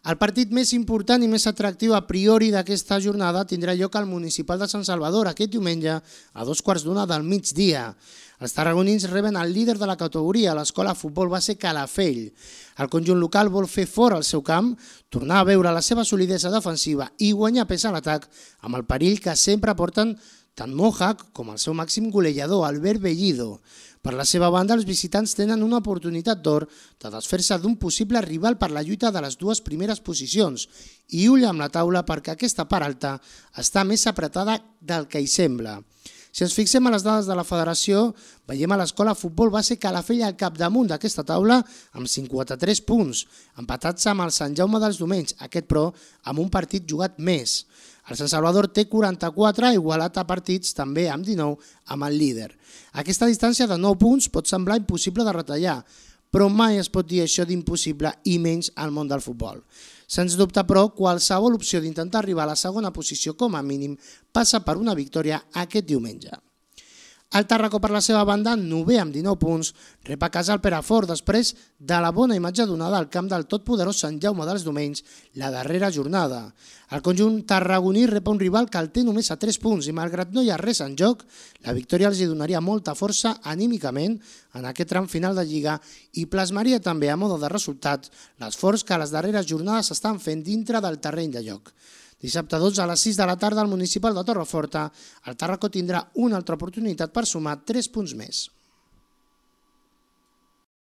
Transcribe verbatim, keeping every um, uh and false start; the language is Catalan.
El partit més important i més atractiu a priori d'aquesta jornada tindrà lloc al Municipal de Sant Salvador aquest diumenge a dos quarts d'una del migdia. Els tarragonins reben el líder de la categoria, l'Escola Futbol Base Calafell. El conjunt local vol fer fora al seu camp, tornar a veure la seva solidesa defensiva i guanyar pes a l'atac amb el perill que sempre porten tant Mohawk com el seu màxim golejador, Albert Bellido. Per la seva banda, els visitants tenen una oportunitat d'or de desfer-se d'un possible rival per la lluita de les dues primeres posicions i ull amb la taula perquè aquesta part alta està més apretada del que hi sembla. Si ens fixem a les dades de la federació, veiem a l'Escola Futbol Base Calafell al capdamunt d'aquesta taula amb cinquanta-tres punts, empatats amb el Sant Jaume dels Domenys, aquest però amb un partit jugat més. El Sant Salvador té quaranta-quatre, igualat a partits també amb dinou amb el líder. Aquesta distància de nou punts pot semblar impossible de retallar, però mai es pot dir això d'impossible i menys al món del futbol. Sens dubte, però, qualsevol opció d'intentar arribar a la segona posició com a mínim passa per una victòria aquest diumenge. El Tàrraco, per la seva banda, novè amb dinou punts, rep a casa el Perafort després de la bona imatge donada al camp del totpoderós Sant Jaume dels Domenys la darrera jornada. El conjunt tarragoní rep un rival que el té només a tres punts i, malgrat no hi ha res en joc, la victòria els hi donaria molta força anímicament en aquest tram final de Lliga i plasmaria també a mode de resultat l'esforç que a les darreres jornades s'estan fent dintre del terreny de joc. Dissabte dotze a les sis de la tarda al Municipal de Torreforta, el Tàrraco tindrà una altra oportunitat per sumar tres punts més.